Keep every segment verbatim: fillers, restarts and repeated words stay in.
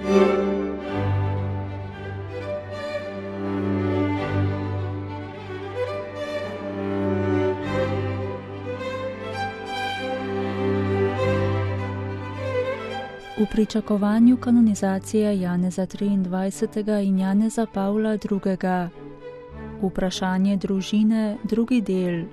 V pričakovanju kanonizacije Janeza triindvajsetega in Janeza Pavla drugega. Vprašanje družine, drugi del.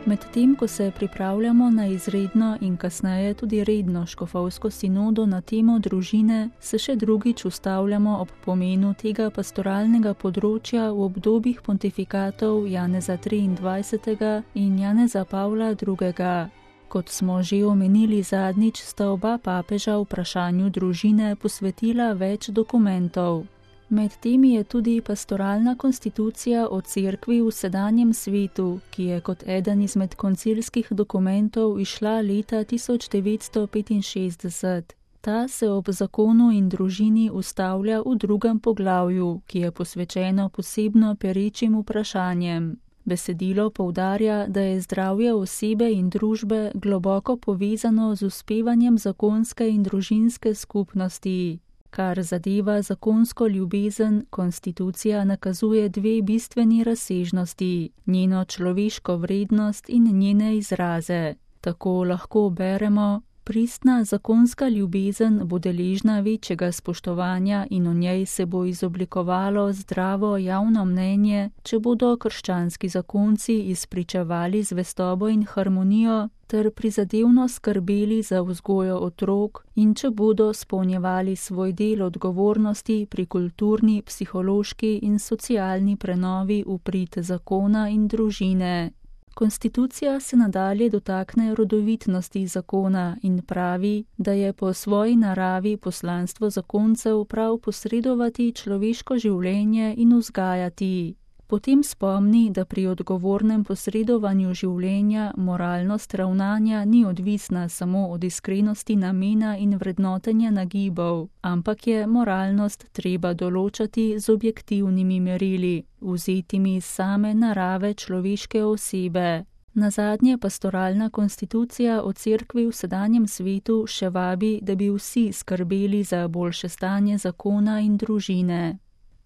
Medtem, ko se pripravljamo na izredno in kasneje tudi redno škofovsko sinodo na temo družine, se še drugič ustavljamo ob pomenu tega pastoralnega področja v obdobjih pontifikatov Janeza triindvajsetega in Janeza Pavla drugega. Kot smo že omenili zadnjič, sta oba papeža vprašanju družine posvetila več dokumentov. Med temi je tudi pastoralna konstitucija o cerkvi v sedanjem svetu, ki je kot eden izmed koncilskih dokumentov izšla leta tisoč devetsto petinšestdeset. Ta se ob zakonu in družini ustavlja v drugem poglavju, ki je posvečeno posebno perečim vprašanjem. Besedilo poudarja, da je zdravje osebe in družbe globoko povezano z uspevanjem zakonske in družinske skupnosti. Kar zadeva zakonsko ljubezen, konstitucija nakazuje dve bistveni razsežnosti, njeno človeško vrednost in njene izraze. Tako lahko beremo: pristna zakonska ljubezen bo deležna večjega spoštovanja in v njej se bo izoblikovalo zdravo javno mnenje, če bodo krščanski zakonci izpričevali zvestobo in harmonijo ter prizadevno skrbeli za vzgojo otrok in če bodo spolnjevali svoj del odgovornosti pri kulturni, psihološki in socialni prenovi v prid zakona in družine. Konstitucija se nadalje dotakne rodovitnosti zakona in pravi, da je po svoji naravi poslanstvo zakoncev prav posredovati človeško življenje in vzgajati. Potem spomni, da pri odgovornem posredovanju življenja moralnost ravnanja ni odvisna samo od iskrenosti namena in vrednotenja nagibov, ampak je moralnost treba določati z objektivnimi merili, vzetimi iz same narave človeške osebe. Nazadnje pastoralna konstitucija o cerkvi v sedanjem svetu še vabi, da bi vsi skrbeli za boljše stanje zakona in družine.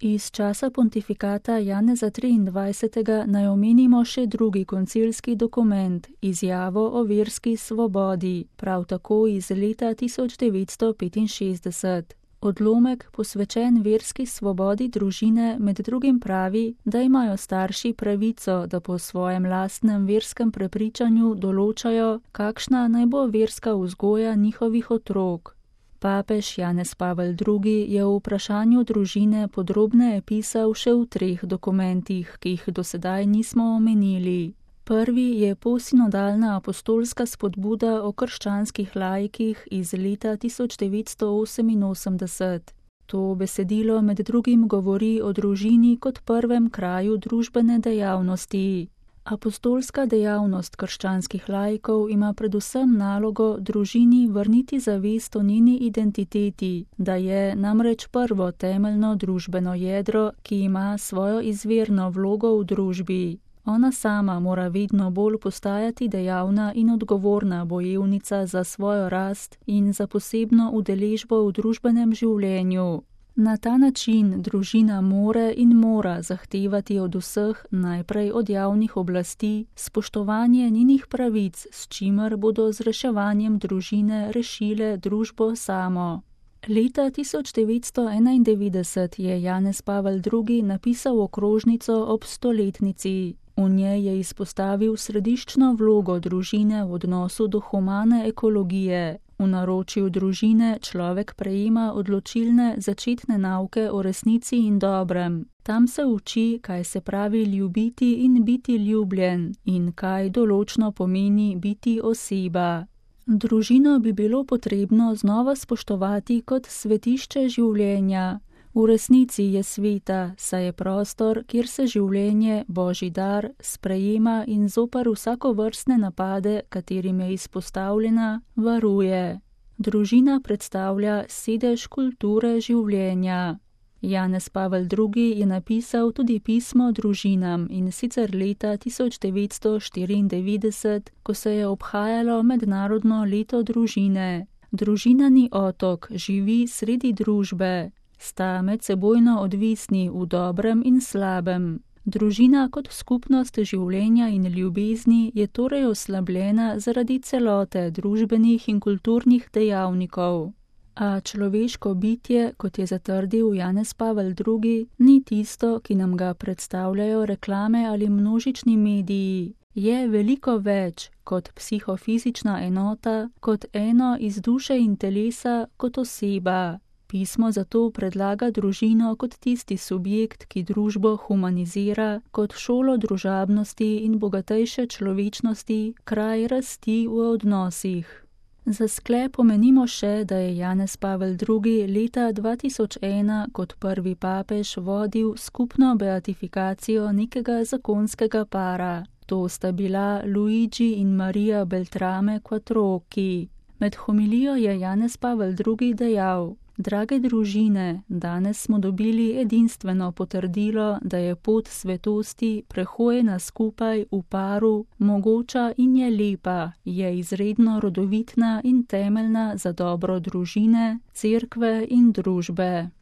Iz časa pontifikata Janeza triindvajsetega naj omenimo še drugi koncilski dokument, izjavo o verski svobodi, prav tako iz leta tisoč devetsto petinšestdeset. Odlomek, posvečen verski svobodi družine, med drugim pravi, da imajo starši pravico, da po svojem lastnem verskem prepričanju določajo, kakšna naj bo verska vzgoja njihovih otrok. Papež Janez Pavel drugi je v vprašanju družine podrobneje pisal še v treh dokumentih, ki jih do sedaj nismo omenili. Prvi je posinodalna apostolska spodbuda o krščanskih laikih iz leta tisoč devetsto oseminosemdeset. To besedilo med drugim govori o družini kot prvem kraju družbene dejavnosti. Apostolska dejavnost krščanskih laikov ima predvsem nalogo družini vrniti zavest o njeni identiteti, da je namreč prvo temeljno družbeno jedro, ki ima svojo izvirno vlogo v družbi. Ona sama mora vedno bolj postajati dejavna in odgovorna bojevnica za svojo rast in za posebno udeležbo v družbenem življenju. Na ta način družina more in mora zahtevati od vseh, najprej od javnih oblasti, spoštovanje njenih pravic, s čimer bodo z reševanjem družine rešile družbo samo. Leta tisoč devetsto enaindevetdeset je Janez Pavel drugi napisal okrožnico ob stoletnici. V njej je izpostavil središčno vlogo družine v odnosu do humane ekologije. V naročju družine človek prejema odločilne začetne nauke o resnici in dobrem. Tam se uči, kaj se pravi ljubiti in biti ljubljen in kaj določno pomeni biti oseba. Družino bi bilo potrebno znova spoštovati kot svetišče življenja. V resnici je sveta, saj je prostor, kjer se življenje, Božji dar, sprejema in zoper vsakovrstne napade, katerim je izpostavljena, varuje. Družina predstavlja sedež kulture življenja. Janez Pavel drugi. je napisal tudi pismo družinam, in sicer leta tisoč devetsto štiriindevetdeset, ko se je obhajalo mednarodno leto družine. Družina ni otok, živi sredi družbe. Sta medsebojno odvisni v dobrem in slabem. Družina kot skupnost življenja in ljubezni je torej oslabljena zaradi celote družbenih in kulturnih dejavnikov. A človeško bitje, kot je zatrdil Janez Pavel drugi., ni tisto, ki nam ga predstavljajo reklame ali množični mediji. Je veliko več kot psihofizična enota, kot eno iz duše in telesa, kot oseba. Pismo zato predlaga družino kot tisti subjekt, ki družbo humanizira, kot šolo družabnosti in bogatejše človečnosti, kraj rasti v odnosih. Za sklep omenimo še, da je Janez Pavel drugi. leta dva tisoč ena kot prvi papež vodil skupno beatifikacijo nekega zakonskega para. To sta bila Luigi in Maria Beltrame Quattrocchi. Med homilijo je Janez Pavel drugi. dejal: Drage družine, danes smo dobili edinstveno potrdilo, da je pot svetosti prehojena skupaj v paru, mogoča in je lepa, je izredno rodovitna in temeljna za dobro družine, cerkve in družbe.